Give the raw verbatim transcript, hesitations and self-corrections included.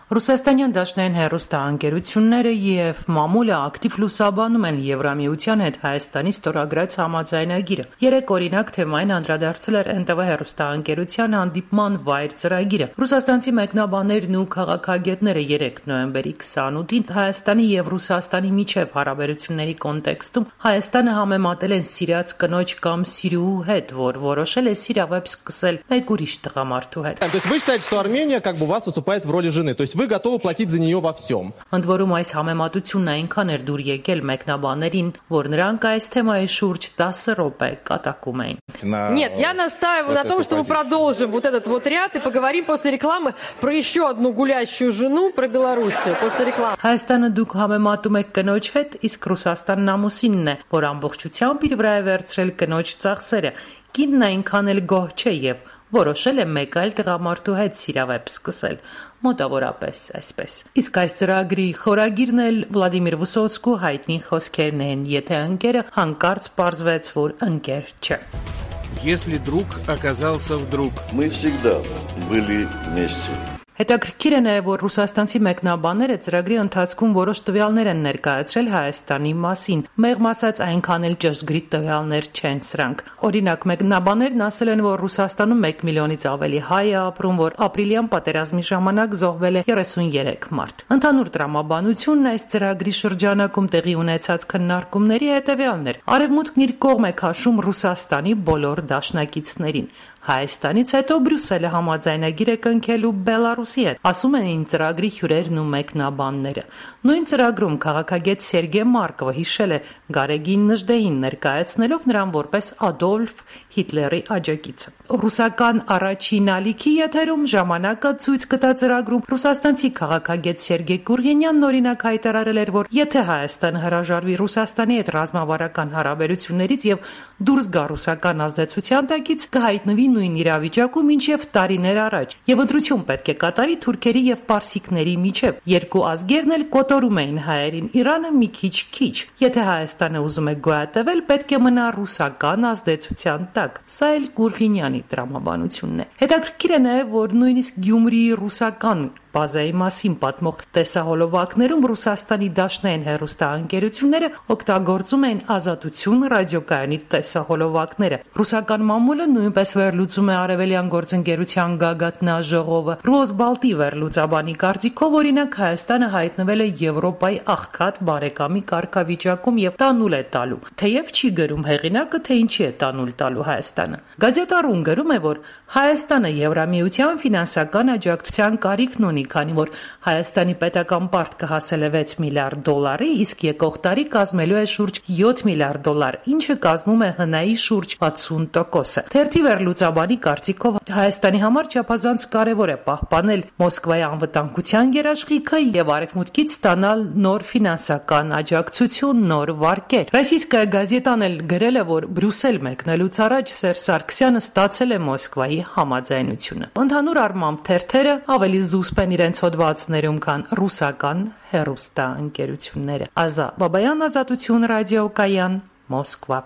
Ռուսաստանյան դաշնային հեռուստաընկերությունները և մամուլը ակտիվ լուսաբանում են Եվրամիության հետ Հայաստանի ստորագրած համաձայնագիրը։ Երեկ օրինակ թեմային անդրադարձել էր Էն Տե Վե հեռուստաընկերության հանդիպման վայր ծրագիրը։ Ռուսաստանցի մեկնաբաններն ու քաղաքագետները երեկ նոյեմբերի քսանութին Հայաստանի և Ռուսաստանի միջև հարաբերությունների կոնտեքստում Հայաստանը համեմատել են սիրած կնոջ կամ սիրուհու հետ, որ որոշել է սիրավեպ սկսել մեկ ուրիշ տղամարդու հետ։ То есть вы считаете, что Армения как бы у вас выступает в роли жены, то есть вы готовы платить за нее во всем? Ընդ որում այս համեմատությունն այնքան էր դուր եկել մեկնաբաներին, որ նրանք այս թեմայի շուրջ տասը րոպե կատակում էին։ Нет, я настаиваю на том, что мы продолжим вот этот вот ряд и поговорим после рекламы про еще одну гулящую жену, про Белоруссию, после рекламы. Հայաստանը դուք համեմատում եք կնոջ հետ, իսկ Ռուսաստանն ամուսինն է, որ ամբողջությամբ իր վրա է վերցրել կնոջ ծախսերը։ Կինն այնքան էլ գոհ չէ եւ որոշել է մեկ այլ տղամարդու հետ սիրավեպ սկսել, մոտավորապես այսպես։ Իսկ այս ծրագրի խորագիրն էլ Վլադիմիր Վիսոցկու հայտնի խոսքերն են, եթե ընկերը հանկարծ պարզվեց, որ ընկեր չէ։ Если друг оказался вдруг. Мы всегда были вместе. Հետաքրքիր է նաև, որ ռուսաստանցի մեկնաբանները ծրագրի ընթացքում որոշ տվյալներ են ներկայացրել Հայաստանի մասին։ Մեղմ ասած, այնքան էլ ճշգրիտ տվյալներ չեն սրանք։ Օրինակ, մեկնաբաններն ասել են, որ Ռուսաստանում մեկ միլիոնից ավելի հայ է ապրում, որ ապրիլյան պատերազմի ժամանակ զոհվել է երեսունյերեք մարդ։ Ընդհանուր տրամաբանությունն այս ծրագրի շրջանակում տեղի ունեցած քննարկումների հետևյալն էր։ Արևմուտքն իր կողմ է քաշում Ռուսաստանի բոլոր դաշնակիցներին։ Հայաստանից հետո Բրյուսելը համաձայնագիր է կնքելու Բելարուսի հետ, ասում են այն ծրագրի հյուրերն ու մեկնաբանները։ Նույն ծրագրում քաղաքագետ Սերգեյ Մարկովը հիշել է Գարեգին Նժդեին, ներկայացնելով նրան որպես Ադոլֆ Հիտլերի աջակիցը։ Ռուսական առաջին ալիքի եթերում ժամանակը ցույց կտա ծրագրում ռուսաստանցի քաղաքագետ Սերգեյ Կուրգենյանն օրինակ հայտարարել էր, որ եթե Հայաստանը հրաժարվի Ռուսաստանի հետ ռազմավարական հարաբերություններից եւ դուրս գա ռուսական ազդեցության տակից, կհայտնվի նույն իրավիճակում, ինչև տարիներ առաջ, եւ ընտրություն պետք է կատարի թուրքերի եւ պարսիկների միջև։ Երկու ազգերն էլ կոտորում էին հայերին, Իրանը մի քիչ-քիչ։ Եթե Հայաստանը ուզում է գոյատևել, պետք է մնա ռուսական ազդեցության տակ։ Սա էլ Գուրգենյանի տրամաբանությունն է։ Հետաքրքիր է նաեւ, որ նույնիսկ Գյումրիի ռուսական բազայի մասին պատմող տեսահոլովակներում Ռուսաստանի դաշնային հեռուստաընկերությունները օգտագործում են Ազատություն ռադիոկայանի տեսահոլովակները։ Ռուսական մամուլը նույնպես վերլուծում է Արևելյան գործընկերության գագաթնաժողովը։ Ռոսբալտի վերլուծաբանի կարծիքով, օրինակ, Հայաստանը հայտնվել է Եվրոպայի աղքատ բարեկամի կարգավիճակում եւ տանուլ է տալու։ Թեև չի գրում հեղինակը, թե ինչի է տանուլ տալու Հայաստանը։ Գազետարուն գրում է, որ Հայաստանը Եվրամիության ֆինանսական աջակցության կարիքն ունի, քանի որ Հայաստանի պետական պարտքը հասել է վեց միլիարդ դոլարի, իսկ եկող տարի կազմելու է շուրջ յոթ միլիարդ դոլար, ինչը կազմում է ՀՆ-ի շուրջ վաթսուն տոկոսը։ Թերթի վերլուծաբանի կարծիքով Հայաստանի համար չափազանց կարևոր է պահպանել Մոսկվայի անվտանգության երաշխիքը եւ արևմուտքից ստանալ նոր ֆինանսական աջակցություն, նոր վարկեր։ Ռոսիյսկայա գազետան էլ գրել է, որ Բրյուսել մեկնելուց առաջ Սերժ Սարգսյանը ստացել է Մոսկվայի համաձայնությունը։ Ընդհանուր առմամբ թերթերը ավելի զուսպ են իրենց հոդվածներում, քան ռուսական հեռուստաընկերությունները։ Ազա Բաբայան, Ազատություն ռադիոկայան, Մոսկվա։